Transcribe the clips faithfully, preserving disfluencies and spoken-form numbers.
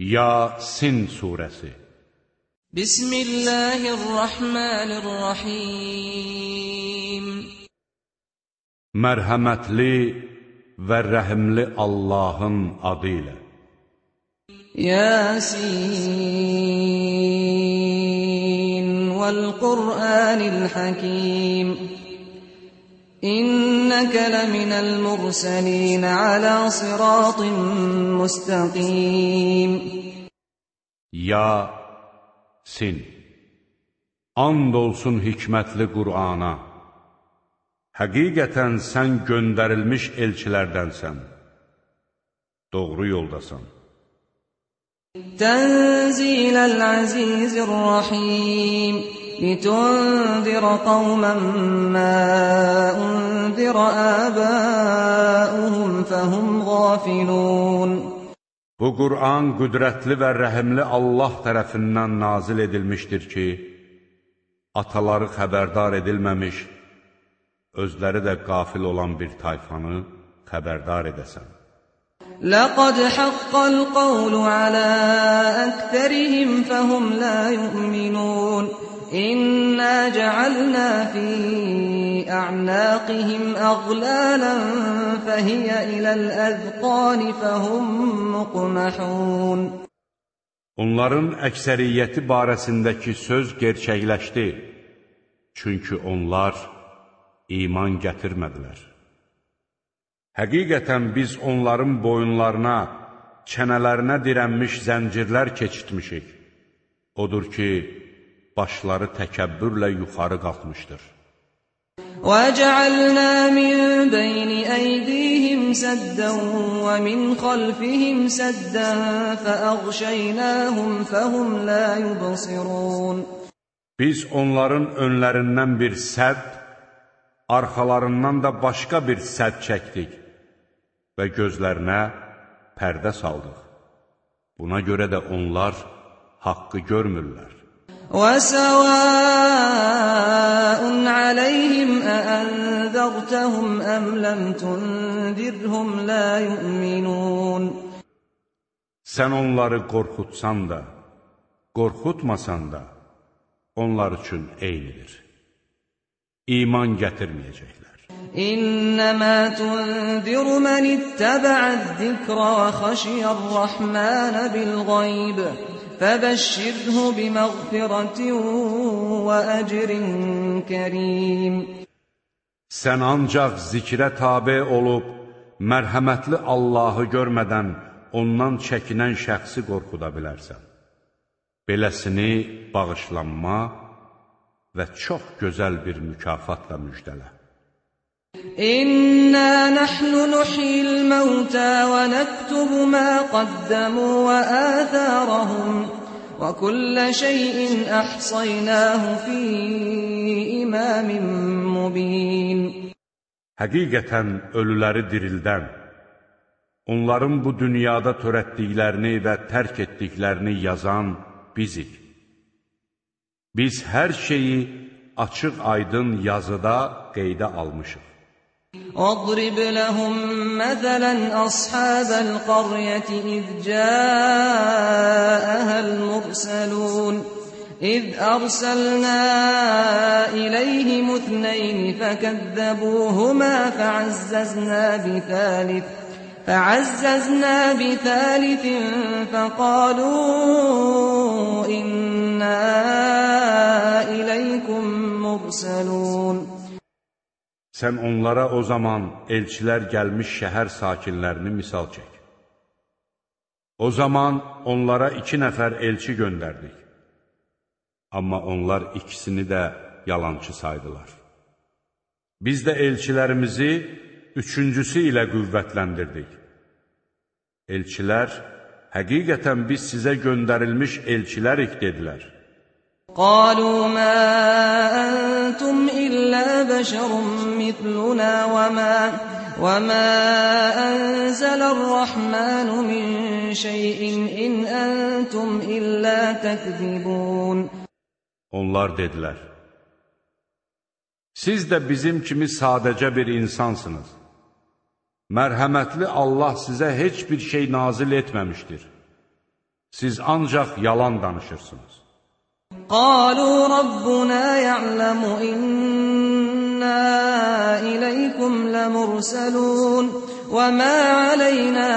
Yasin surəsi. Bismillahirrahmanirrahim. Mərhəmətli və rəhimli Allahın adı ilə. Yasin vəl-Qur'anil Hakim. İnnəkə ləminəl mursalin alə sıratın müstəqim. Yasin. And olsun hikmətli Qur'ana. Həqiqətən sən göndərilmiş elçilərdənsən. Doğru yoldasan. Tənziləl əzizir-rəhim. لِتُنْذِرَ قَوْمًا مَا أُنْذِرَ آبَاؤُهُمْ فَهُمْ غَافِلُونَ. Bu Qur'an qüdrətli və rəhimli Allah tərəfindən nazil edilmişdir ki, ataları xəbərdar edilməmiş, özləri də qafil olan bir tayfanı xəbərdar edəsən. لَقَدْ حَقَّ الْقَوْلُ عَلَى أَكْثَرِهِمْ فَهُمْ لَا يُؤْمِنُونَ. إِنَّا جَعَلْنَا فِي أَعْنَاقِهِمْ أَغْلَالًا فَهِيَ إِلَى الْأَذْقَانِ فَهُمْ مُقْمَحُونَ. Onların əksəriyyəti barəsindəki söz gerçəkləşdi. Çünki onlar iman gətirmədilər. Həqiqətən biz onların boyunlarına, çənələrinə dirənmiş zəncirlər keçitmişik. Odur ki, başları təkəbbürlə yuxarı qalxmışdır. وَجَعَلْنَا مِنْ بَيْنِ أَيْدِيهِمْ سَدًّا وَمِنْ خَلْفِهِمْ سَدًّا فَأَغْشَيْنَاهُمْ فَهُمْ لَا يُبْصِرُونَ. Biz onların önlərindən bir sədd, arxalarından da başqa bir sədd çəkdik və gözlərinə pərdə saldıq. Buna görə də onlar haqqı görmürlər. وَسَوَاءٌ عَلَيْهِمْ أَأَنذَرْتَهُمْ أَمْ لَمْ تُنذِرْهُمْ لَا يُؤْمِنُونَ. Sən onları qorxutsan da, qorxutmasan da, onlar üçün eynidir. İman gətirməyəcəklər. İnnəmə tunzir mən ittəbə'əz-zikra və xəşiyər-rəhmənə bil-qayb. فَبَشِّرْهُ بِمَغْفِرَةٍ وَأَجْرٍ كَرِيمٍ. Sən ancaq zikrə tabe olub, mərhəmətli Allahı görmədən ondan çəkinən şəxsi qorxuda bilərsən. Beləsini bağışlanma və çox gözəl bir mükafatla müjdələ. İnna nahnu nuhyil mauta və naktubu ma qaddamu və atharahum və kulla şeyin ahsaynahu fi imamin mubin. Həqiqətən ölüləri dirildən, onların bu dünyada törətdiklərini və tərk etdiklərini yazan bizik. Biz hər şeyi açıq aydın yazıda qeydə almışıq. وَاضْرِبْ لَهُمْ مَثَلًا أَصْحَابَ الْقَرْيَةِ إِذْ جَاءَهَا الْمُرْسَلُونَ إِذْ أَرْسَلْنَا إِلَيْهِمُ اثْنَيْنِ فَكَذَّبُوهُمَا فَعَزَّزْنَا بِثَالِثٍ فَعَزَّزْنَا بِثَالِثٍ فَقَالُوا إِنَّا إِلَيْكُمْ مُرْسَلُونَ. Sən onlara o zaman elçilər gəlmiş şəhər sakinlərini misal çək. O zaman onlara iki nəfər elçi göndərdik. Amma onlar ikisini də yalançı saydılar. Biz də elçilərimizi üçüncüsü ilə qüvvətləndirdik. Elçilər, həqiqətən biz sizə göndərilmiş elçilərik dedilər. قالوا ما أنتم إلا بشر مثلنا وما, وما أنزل الرحمن من شيء إن أنتم إلا تكذبون. Onlar dedilər, siz də bizim kimi sadəcə bir insansınız. Mərhəmətli Allah sizə heç bir şey nazil etməmişdir. Siz ancaq yalan danışırsınız. قالوا ربنا يعلم إنا إليكم لمرسلون وما علينا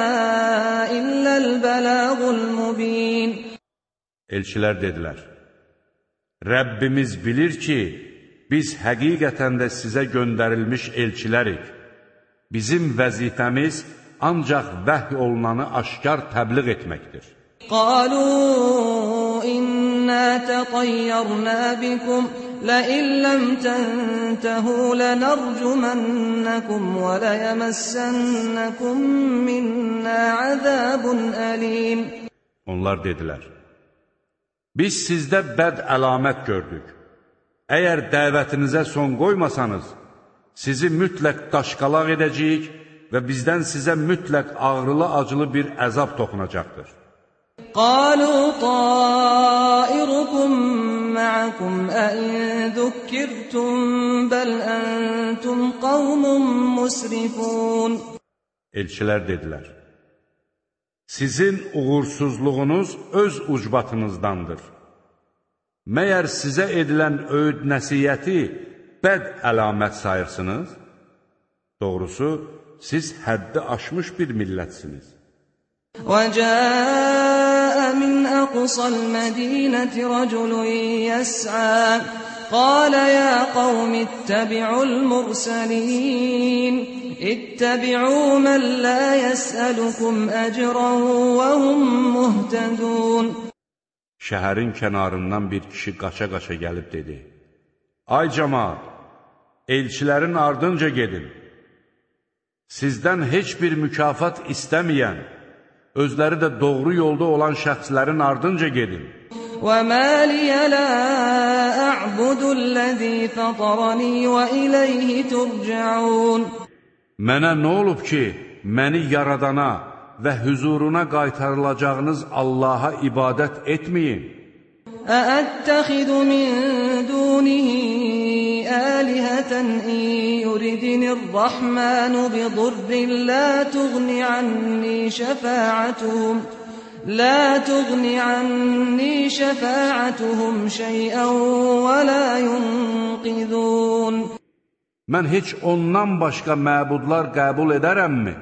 إلا البلاغ المبين. Elçilər dedilər, Rəbbimiz bilir ki, biz həqiqətən də sizə göndərilmiş elçilərik. Bizim vəzifəmiz ancaq vəhy olunanı aşkar təbliğ etməkdir. قالوا إنا تطيرنا بكم لئن لم تنتهوا لنرجمنكم وليمسنكم منا عذاب أليم. Onlar dedilər, biz sizdə bəd əlamət gördük. Əgər dəvətinizə son qoymasanız, sizi mütləq daşqalaq edəcəyik və bizdən sizə mütləq ağrılı-acılı bir əzab toxunacaqdır. قالوا طائركم معكم أئن ذكرتم بل أنتم قوم مسرفون. Elçilər dedilər, sizin uğursuzluğunuz öz ucbatınızdandır. Məyər sizə edilən öyüd nəsiyyəti bəd əlamət sayırsınız? Doğrusu, siz həddi aşmış bir millətsiniz. وَجَاءَ مِنْ أَقْصَى الْمَدِينَةِ رَجُلٌ يَسْعَى قَالَ يَا قَوْمِ اتَّبِعُوا الْمُرْسَلِينَ اتَّبِعُوا مَنْ لَا يَسْأَلُكُمْ أَجْرًا وَهُمْ مُهْتَدُونَ. Şəhərin kənarından bir kişi qaça-qaça gəlib dedi, Ay cəmaat, elçilərin ardınca gedin. Sizdən heç bir mükafat istəməyən, özləri də doğru yolda olan şəxslərin ardınca gedin. وَمَا لِيَ لَا أَعْبُدُ الَّذِي فَطَرَنِي وَإِلَيْهِ تُرْجَعُونَ. Mənə nə olub ki, məni yaradana və hüzuruna qaytarılacağınız Allaha ibadət etməyin. أَأَتَّخِذُ مِن دُونِهِ آلِهَةً إِن يُرِدْنِ الرَّحْمَنُ بِضُرٍّ لَّا تُغْنِ عَنِّي شَفَاعَتُهُمْ لَا تُغْنِ عَنِّي شَفَاعَتُهُمْ شَيْئًا وَلَا يُنقِذُونَ. Mən heç ondan başqa məbudlar qəbul edərəmmi?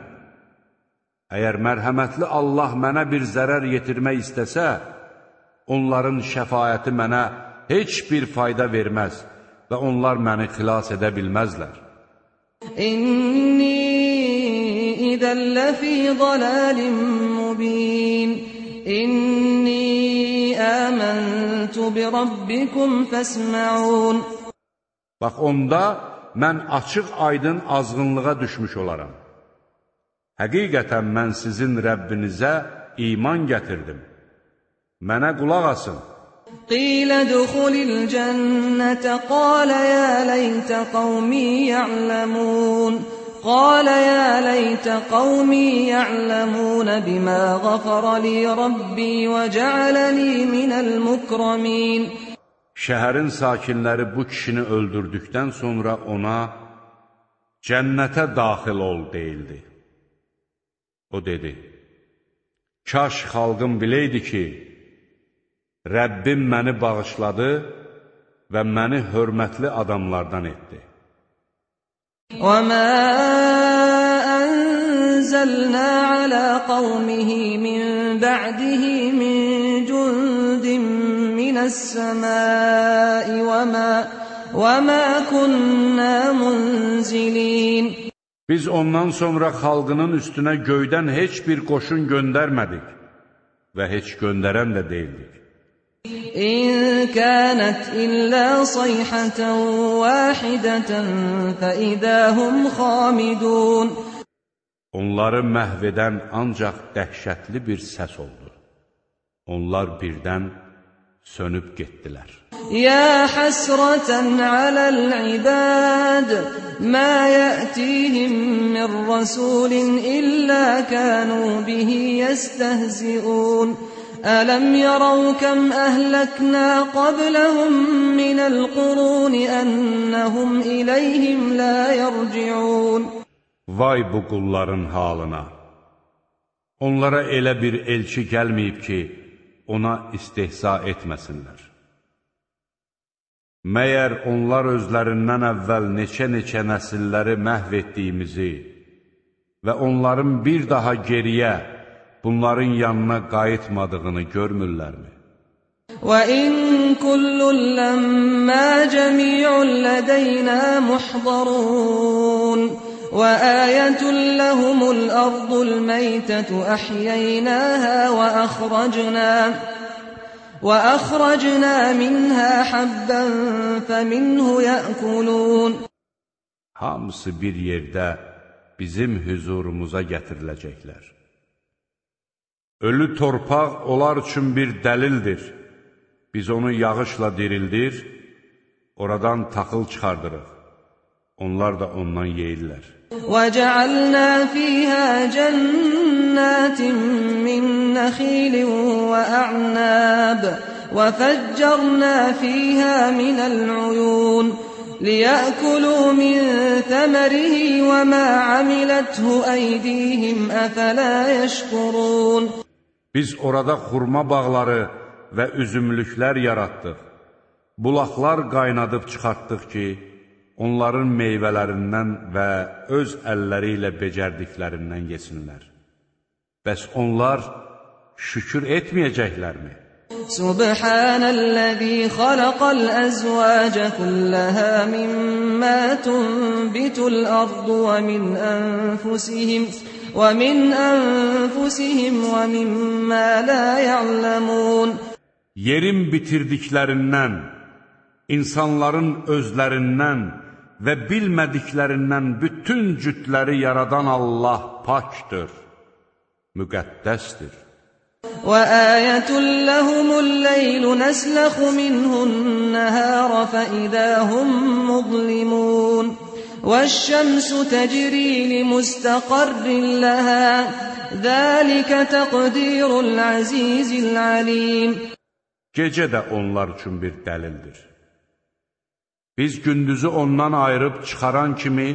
Əgər mərhəmətli Allah mənə bir zərər yetirmək istəsə, onların şəfaəti mənə heç bir fayda verməz və onlar məni xilas edə bilməzlər. İnni idən ləfi dalalin mubin. İnni əməntu bi rabbikum fəsməun. Bax, onda mən açıq aydın azğınlığa düşmüş olaram. Həqiqətən mən sizin Rəbbinizə iman gətirdim. Mənə qulaq asın. Qilə duxulil cənnətə qalə yə leytə qavmi ya'ləmun. Qalə yə leytə qavmi ya'ləmun bimə qafara li Rabbi və cəaləni minəl mukramin. Şəhərin sakinləri bu kişini öldürdükdən sonra ona cənnətə daxil ol deyildi. O dedi, kaş xalqım biləydi ki, Rəbbim məni bağışladı və məni hörmətli adamlardan etdi. وَمَا أَنزَلْنَا عَلَى قَوْمِهِ مِنْ بَعْدِهِ مِنْ جُنْدٍ مِنَ السَّمَاءِ وَمَا, وَمَا كُنَّا مُنْزِلِينَ. Biz ondan sonra xalqının üstünə göydən heç bir qoşun göndərmədik və heç göndərən də deyildik. İn kânət illə sayhətən vahidətən fəidəhum xamidun. Onları məhv edən ancaq dəhşətli bir səs oldu. Onlar birdən sönüb getdilər. Ya həsrətən aləl-ibad, mə yətihim min rəsulin illə kənu bihi yəstəhziun. Ələm yərəv kəm əhləknə qabləhum minəl quruni ennəhum iləyhim lə yərciun. Vay bu qulların halına! Onlara elə bir elçi gəlməyib ki, ona istehza etməsinlər. Məyər onlar özlərindən əvvəl neçə-neçə nəsilləri məhv etdiyimizi və onların bir daha geriyə bunların yanına qayıtmadığını görmürlərmi? وَإِن كُلٌّ لَّمَّا جَمِيعٌ لَّدَيْنَا مُحْضَرُونَ وَآيَةٌ لَّهُمُ الْأَرْضُ الْمَيْتَةُ أَحْيَيْنَاهَا وَأَخْرَجْنَا وَأَخْرَجْنَا مِنْهَا حَبًّا فَمِنْهُ يَأْكُلُونَ Hamısı bir yerdə bizim hüzurumuza gətiriləcəklər. Ölü torpaq onlar üçün bir dəlildir. Biz onu yağışla dirildir, oradan taxıl çıxardırıq. Onlar da ondan yeyirlər. وَجَعَلْنَا فِيهَا جَنَّاتٍ مِّن نَّخِيلٍ وَأَعْنَابٍ وَفَجَّرْنَا فِيهَا مِنَ الْعُيُونِ لِيَأْكُلُوا مِن ثَمَرِهِ وَمَا عَمِلَتْهُ أَيْدِيهِمْ أَفَلَا يَشْكُرُونَ Biz orada xurma bağları və üzümlüklər yaratdıq. Bulaqlar qaynadıb çıxartdıq ki, onların meyvələrindən və öz əlləri ilə becərdiklərindən yesinlər. Bəs onlar şükür etməyəcəklərmi? Subhanəl-ləzî xalaqal əzvâce kulləhə mimmə tunbitul ardu və min ənfusihim və min ənfusihim və mimmə la ya'lamun. Yerin bitirdiklərindən, insanların özlərindən və bilmədiklərindən bütün cütləri yaradan Allah pakdır, müqəddəsdir. وَآيَةٌ لَّهُمُ اللَّيْلُ نَسْلَخُ مِنْهُ النَّهَارَ فَإِذَا هُم مُّظْلِمُونَ وَالشَّمْسُ تَجْرِي لِمُسْتَقَرٍّ لَّهَا ذَلِكَ تَقْدِيرُ الْعَزِيزِ الْعَلِيمِ Gecə də onlar üçün bir dəlildir. Biz gündüzü ondan ayırıb çıxaran kimi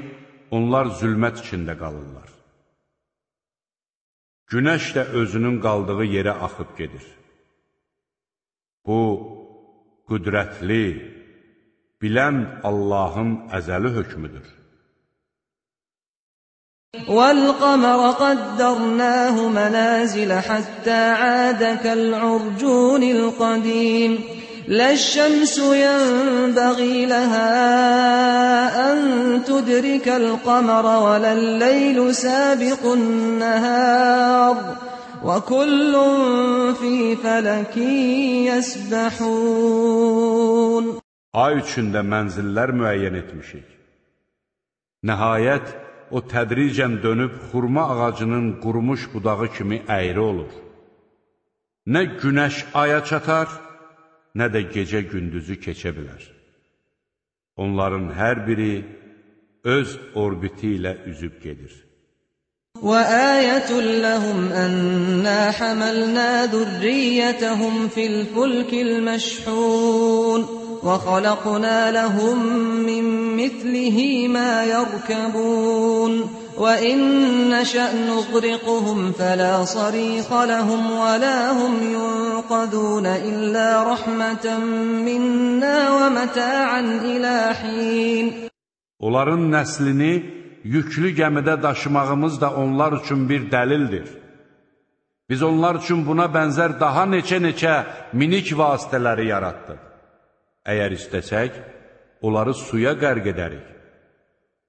onlar zülmət içində qalırlar. Günəş də özünün qaldığı yerə axıb gedir. Bu, qüdrətli, bilən Allahın əzəli hökmüdür. وَالْقَمَرَ قَدَّرْنَاهُ مَنَازِلَ حَتَّى عَادَ كَالْعُرْجُونِ الْقَدِيمِ لَا الشَّمْسُ يَنبَغِي لَهَا أَن تُدْرِكَ الْقَمَرَ وَلَا اللَّيْلُ سَابِقُ النَّهَارِ وَكُلٌّ فِي فَلَكٍ يَسْبَحُونَ Ay üçündə mənzillər müəyyən etmişik. Nəhayət, o tədricən dönüb xurma ağacının qurumuş budağı kimi əyri olur. Nə günəş aya çatar, nə də gecə gündüzü keçə bilər. Onların hər biri öz orbiti ilə üzüb gedir. وَآيَةٌ لَّهُمْ أَنَّا حَمَلْنَا ذُرِّيَّتَهُمْ فِي الْفُلْكِ الْمَشْحُونِ وَخَلَقْنَا لَهُم مِّن مِّثْلِهِ مَا يَرْكَبُونَ وَإِن نَّشَأْ نُغْرِقْهُمْ فَلَا صَرِيخَ لَهُمْ وَلَا هُمْ يُنقَذُونَ إِلَّا رَحْمَةً مِّنَّا وَمَتَاعًا إِلَى حِينٍ Onların nəslini yüklü gəmidə daşımağımız da onlar üçün bir dəlildir. Biz onlar üçün buna bənzər daha neçə-neçə minik vasitələri yaratdıq. Əgər istəsək, onları suya qərq edərik.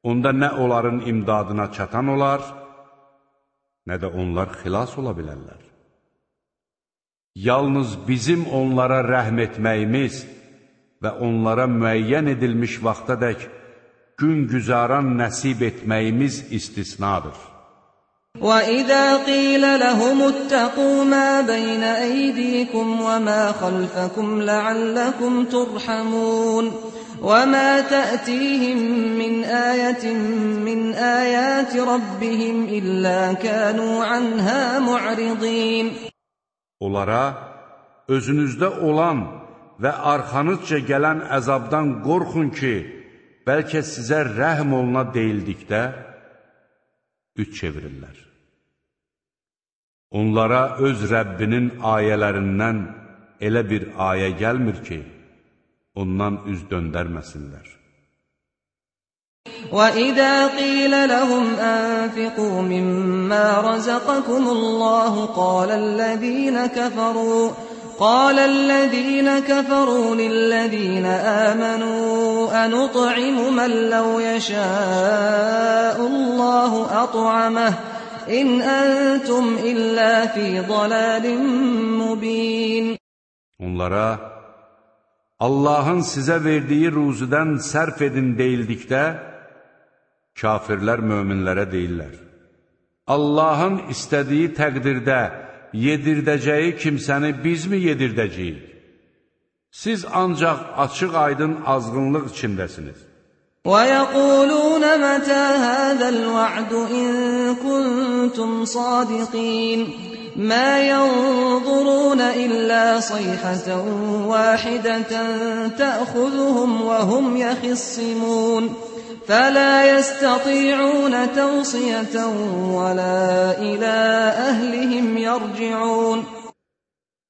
Onda nə onların imdadına çatan olar, nə də onlar xilas ola bilərlər. Yalnız bizim onlara rəhm etməyimiz və onlara müəyyən edilmiş vaxtadək gün güzaran nəsib etməyimiz istisnadır. وَإِذَا قِيلَ لَهُمُ اتَّقُوا مَا بَيْنَ أَيْدِيكُمْ وَمَا خَلْفَكُمْ لَعَلَّكُمْ تُرْحَمُونَ وَمَا تَأْتِيهِمْ مِنْ آيَةٍ مِنْ آيَاتِ رَبِّهِمْ إِلَّا كَانُوا عَنْهَا مُعْرِضِينَ Onlara özünüzdə olan və arxanızca gələn əzabdan qorxun ki, bəlkə sizə rəhm oluna deyildikdə üç çevirirlər. Onlara öz Rəbbinin ayələrindən elə bir ayə gəlmir ki, ondan üz döndərməsinlər. وَإِذَا قِيلَ لَهُمْ أَنفِقُوا مِمَّا رَزَقَكُمُ اللَّهُ قَالَ الَّذِينَ كَفَرُوا قال الذين كفروا للذين آمنوا أنطعم من لو يشاء الله أطعمه إن أنتم إلا في ضلال مبين. Onlara Allah'ın sizə verdiyi ruzudan sərf edin deyildikdə, kafirlər möminlərə deyirlər: Allah'ın istədiyi təqdirdə yedirdəcəyi kimsəni biz mi yedirdəcəyik? Siz ancaq açıq aydın azğınlıq içindəsiniz. وَيَقُولُونَ مَتَى هَذَا الْوَعْدُ إِن كُنتُمْ صَادِقِينَ مَا يَنظُرُونَ إِلَّا صَيْحَةً وَاحِدَةً تَأْخُذُهُمْ وَهُمْ يَخِصِّمُونَ فَلَا يَسْتَطِيعُونَ تَوْصِيَةً وَلَا إِلَى أَهْلِهِمْ يَرْجِعُونَ.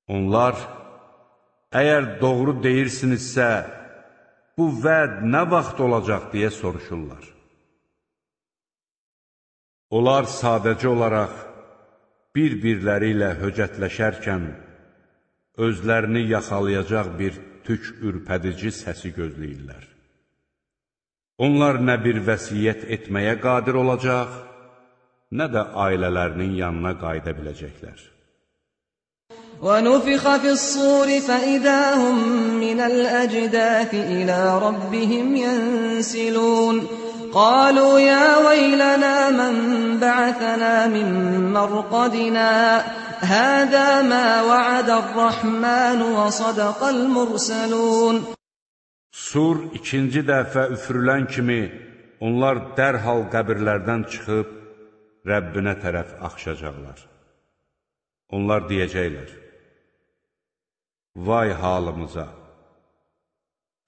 Onlar, əgər doğru deyirsinizsə, bu vəd nə vaxt olacaq deyə soruşurlar. Onlar sadəcə olaraq bir-birləri ilə höcətləşərkən, özlərini yaxalayacaq bir tük ürpədici səsi gözləyirlər. Onlar nə bir vəsiyyət etməyə qadir olacaq, nə də ailələrinin yanına qayıda biləcəklər. وَنُفِخَ فِي الصُّورِ فَإِذَا هُمْ مِنَ الْأَجْدَاثِ إِلَى رَبِّهِمْ يَنسِلُونَ قَالُوا يَا وَيْلَنَا مَنْ بَعَثَنَا مِنْ مَرْقَدِنَا هَذَا مَا وَعَدَ الرَّحْمَنُ وَصَدَقَ الْمُرْسَلُونَ. Sur ikinci dəfə üfürülən kimi onlar dərhal qəbirlərdən çıxıb Rəbbinə tərəf axışacaqlar. Onlar deyəcəklər: Vay halımıza!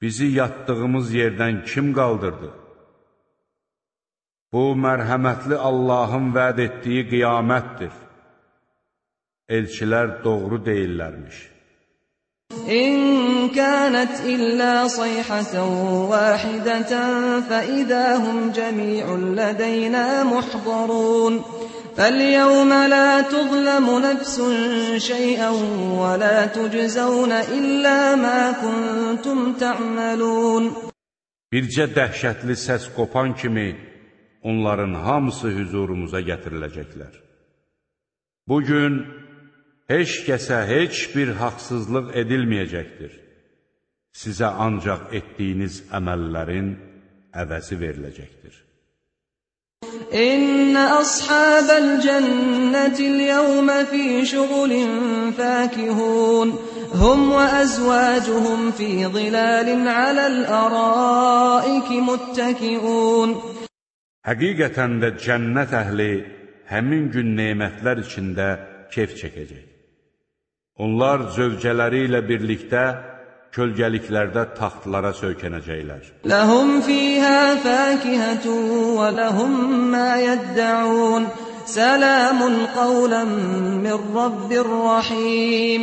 Bizi yatdığımız yerdən kim qaldırdı? Bu, mərhəmətli Allahın vəd etdiyi qiyamətdir. Elçilər doğru deyirlərmiş. إن كانت إلا صيحة واحدة فإذا هم جميع لدينا محضرون فاليوم لا تظلم نفس شيئا ولا تجزون إلا ما كنتم تعملون. Bircə dəhşətli səs qopan kimi onların hamısı huzurumuza gətiriləcəklər. Bugün heç kəsə heç bir haqsızlıq edilməyəcəkdir. Sizə ancaq etdiyiniz əməllərin əvəzi veriləcəkdir. İnne ashabel cennetil yevme fi şugulin fakihun hum ve ezvacuhum fi zilalin alel araiki muttakiun. Həqiqətən də cənnət əhli həmin gün nemətlər içində keyf çəkəcək. Onlar zövcələri ilə birlikdə kölgəliklərdə taxtlara söykənəcəklər. Ləhum fiyhə fəkihətun və ləhum mə yəddəun sələmun qavlən min Rabbir rəhim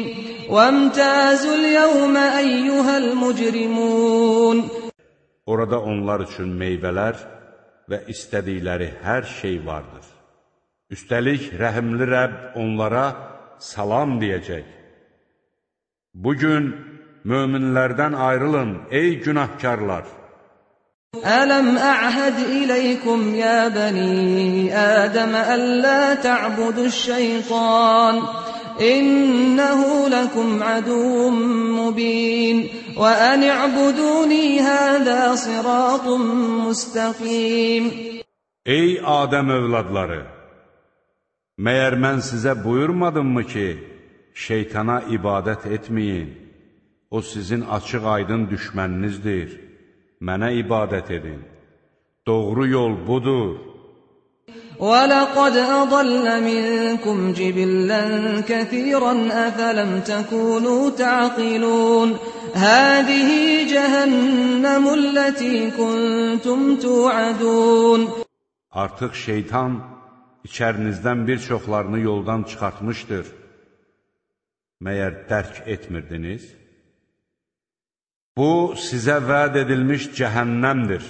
və əmtəzul yevmə əyyuhəl mücrimun. Orada onlar üçün meyvələr və istədikləri hər şey vardır. Üstəlik, rəhimli Rəbb onlara salam deyəcək. Bugün möminlərdən ayrılın, ey günahkarlar! Ələm əhəd iləykum ya bəni Ədəmə əllə tə'buduş-şeytan İnnəhu ləkum əduvun mubin və ən i'buduni həzə siratun müstəqim. Ey Adəm övladları! Məyər mən sizə buyurmadımmı ki, şeytana ibadət etməyin, o sizin açıq aydın düşməninizdir, mənə ibadət edin. Doğru yol budur. وَلَقَدْ أَضَلَّ مِنْكُمْ جِبِلًّا كَثِيرًا أَفَلَمْ تَكُونُوا تَعْقِلُونَ هَذِهِ جَهَنَّمُ الَّتِي كُنْتُمْ تُوعَدُونَ. Artıq şeytan içərinizdən bir çoxlarını yoldan çıxartmışdır. Məyər dərk etmirdiniz? Bu, sizə vəd edilmiş cəhənnəmdir.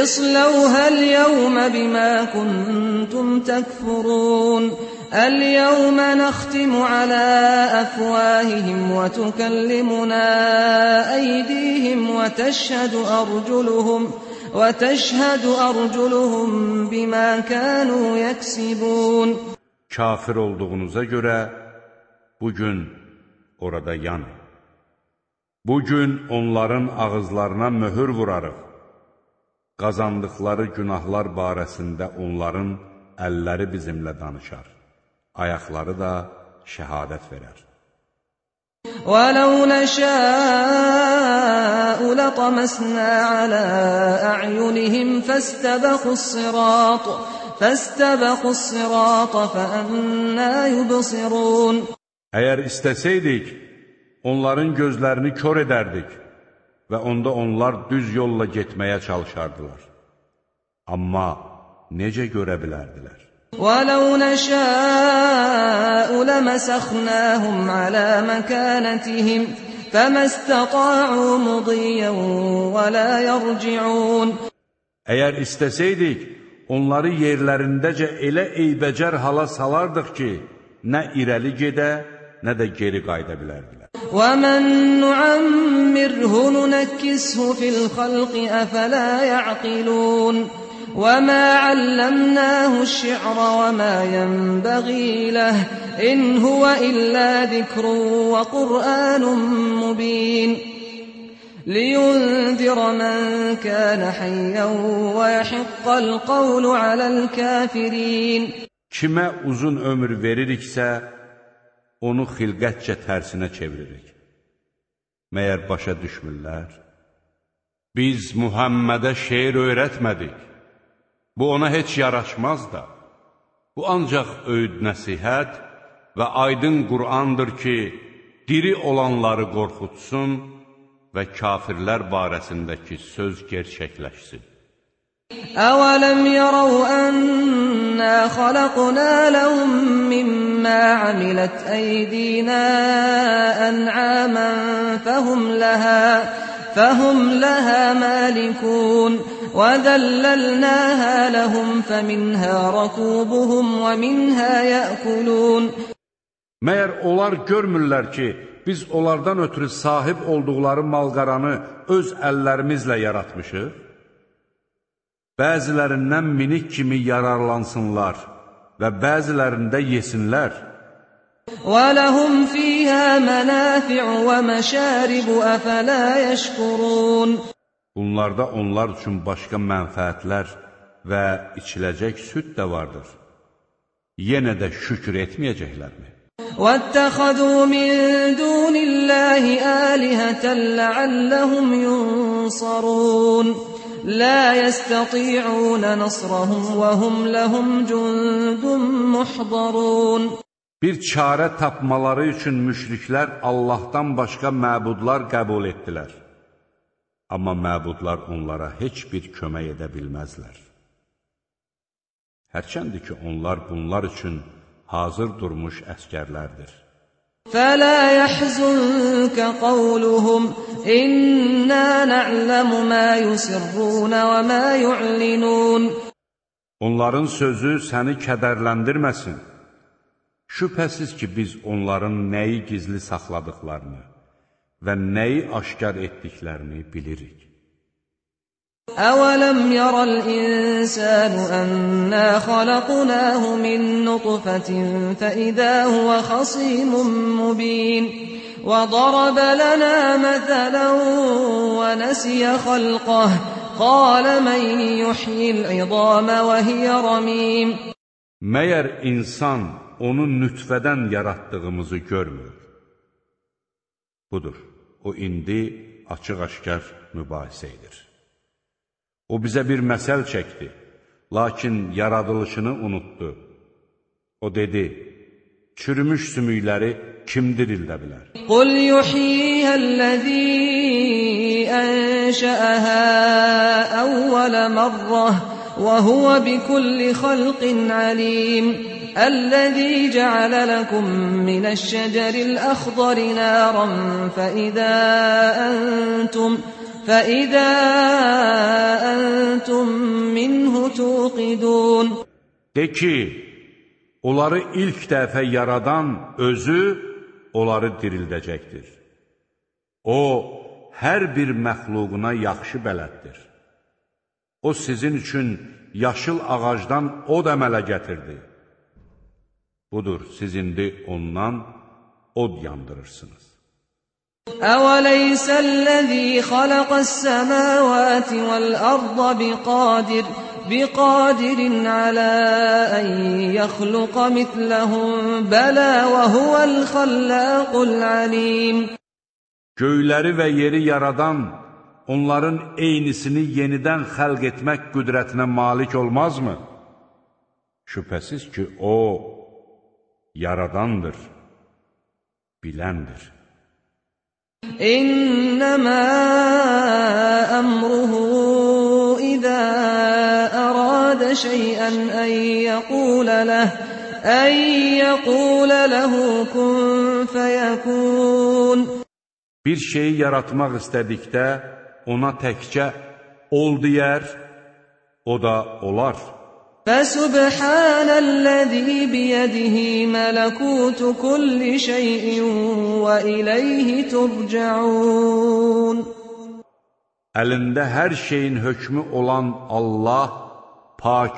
İslawha al-yawma bima kuntum takfurun. اليوم نختم على أفواههم وتكلمنا أيديهم وتشهد أرجلهم وتشهد أرجلهم بما كانوا يكسبون. Kafir olduğunuza görə bugün orada yanın. Bugün onların ağızlarına möhür vurarıq. Qazandıqları günahlar barəsində onların əlləri bizimlə danışar. Ayaqları da şəhadət verər. وَلَوْ نَشَاءُ لَطَمَسْنَا عَلَى أَعْيُنِهِمْ فَاسْتَبَقُوا الصِّرَاطَ فَاسْتَبَقُوا الصِّرَاطَ فَأَنَّى يُبْصِرُونَ. Əgər istəsəydik, onların gözlərini kör edərdik və onda onlar düz yolla getməyə çalışardılar. Amma necə görə bilərdilər? وَلَوْ نَشَاءُ لَمَسَخْنَاهُمْ عَلَى مَكَانَتِهِمْ فَمَا اسْتَطَاعُوا مُضِيًّا وَلَا يَرْجِعُونَ. Əgər istəsəydik, onları yerlərindəcə elə eybəcər hala salardıq ki, nə irəli gedə, nə də geri qayıda bilərdilər. وَمَنْ نُعَمِّرْهُ نُنَكِّسْهُ فِي الْخَلْقِ أَفَلَا يَعْقِلُونَ. وَمَا عَلَّمْنَاهُ الشِّعْرَ وَمَا يَنبَغِي لَهُ إِنْ هُوَ إِلَّا ذِكْرٌ وَقُرْآنٌ مُبِينٌ لِيُنذِرَ مَنْ كَانَ حَيًّا وَيَحِقَّ الْقَوْلُ عَلَى الْكَافِرِينَ. Kimə uzun ömür veririksə, onu xilqətcə tərsinə çeviririk. Məyər başa düşmürlər? Biz Muhammədə şeir öyrətmədik. Bu ona heç yaraşmaz da. Bu ancaq öyüd nəsihət və aydın Qur'andır ki, diri olanları qorxutsun və kafirlər barəsindəki söz gerçəkləşsin. أَوَلَمْ يَرَوْا أَنَّا خَلَقْنَا لَهُم مِّمَّا عَمِلَتْ أَيْدِينَا أَنْعَامًا فَهُمْ لَهَا فَهُمْ لَهَا مَالِكُونَ وَذَلَّلْنَاهَا لَهُمْ فَمِنْهَا رَكُوبُهُمْ وَمِنْهَا يَأْكُلُونَ. Məyər onlar görmürlər ki, biz onlardan ötürü sahib olduqları malqaranı öz əllərimizlə yaratmışıq? Bəzilərindən minik kimi yararlansınlar və bəzilərində yesinlər. وَلَهُمْ فِيهَا مَنَافِعُ وَمَشَارِبُ أَفَلَا يَشْكُرُونَ. Bunlarda onlar üçün başqa mənfəətlər və içiləcək süd də vardır. Yenə də şükür etməyəcəklərmi? وَاتَّخَذُوا مِن دُونِ اللَّهِ آلِهَةً لَعَلَّهُمْ يُنصَرُونَ. لَا يَسْتَطِيعُونَ نَصْرَهُمْ وَهُمْ لَهُمْ جُندٌ مُحْضَرُونَ. Bir çarə tapmaları üçün müşriklər Allahdan başqa məbudlar qəbul etdilər. Amma məbudlar onlara heç bir kömək edə bilməzlər. Hərçəndir ki, onlar bunlar üçün hazır durmuş əskərlərdir. فَلَا يَحْزُنكَ قَوْلُهُمْ إِنَّا نَعْلَمُ مَا يُسِرُّونَ وَمَا يُعْلِنُونَ. Onların sözü səni kədərləndirməsin. Şübhəsiz ki, biz onların nəyi gizli saxladıqlarını və nəyi aşkar etdiklərini bilirik. أَوَلَمْ يَرَ الْإِنسَانُ أَنَّا خَلَقْنَاهُ مِن نُّطْفَةٍ فَإِذَا هُوَ خَصِيمٌ مُّبِينٌ وَضَرَبَ لَنَا مَثَلًا وَنَسِيَ خَلْقَهُ قَالَ مَن يُحْيِي الْعِظَامَ وَهِيَ رَمِيمٌ. Məyər insan onu nütfədən yaratdığımızı görmür? Budur, o indi açıq-aşkar mübahisə edir. O bizə bir məsəl çəkdi, lakin yaradılışını unutdu. O dedi, çürümüş sümükləri kim dirildə bilər? قُلْ يُحْيِيهَا الَّذِي أَنشَأَهَا أَوَّلَ مَرَّةٍ وَهُوَ بِكُلِّ خَلْقٍ عَلِيمٌ. الذي جعل لكم من الشجر الأخضر نارا فإذا أنتم فإذا أنتم منه توقدون. De ki, onları ilk dəfə yaradan özü onları dirildəcəkdir. O, hər bir məxluquna yaxşı bələddir. O, sizin üçün yaşıl ağacdan od əmələ gətirdi. Budur, siz indi ondan od yandırırsınız. أَوَلَيْسَ الَّذِي خَلَقَ السَّمَاوَاتِ وَالْأَرْضَ بِقَادِرٍ بِقَادِرٍ عَلَى أَنْ يَخْلُقَ مِثْلَهُمْ بَلَى وَهُوَ الْخَلَّاقُ الْعَلِيمُ. Göyləri və yeri yaradan, onların eynisini yenidən xəlq etmək qüdrətinə malik olmazmı? Şübhəsiz ki, O, yaradandır, biləndir. İnnəmə əmruhu izə əradə şeyən ən yəqulə ləh ən yəqulə ləhu kun fəyəkun. Bir şeyi yaratmaq istədikdə ona təkcə ol deyər, o da olar. Fəsubhanəl-ləzî biyədihi mələkûtu kulli şeyin və iləyhi turcaun. Əlində hər şeyin hökmü olan Allah pak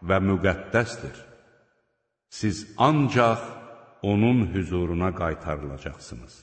və müqəddəsdir. Siz ancaq onun hüzuruna qaytarılacaqsınız.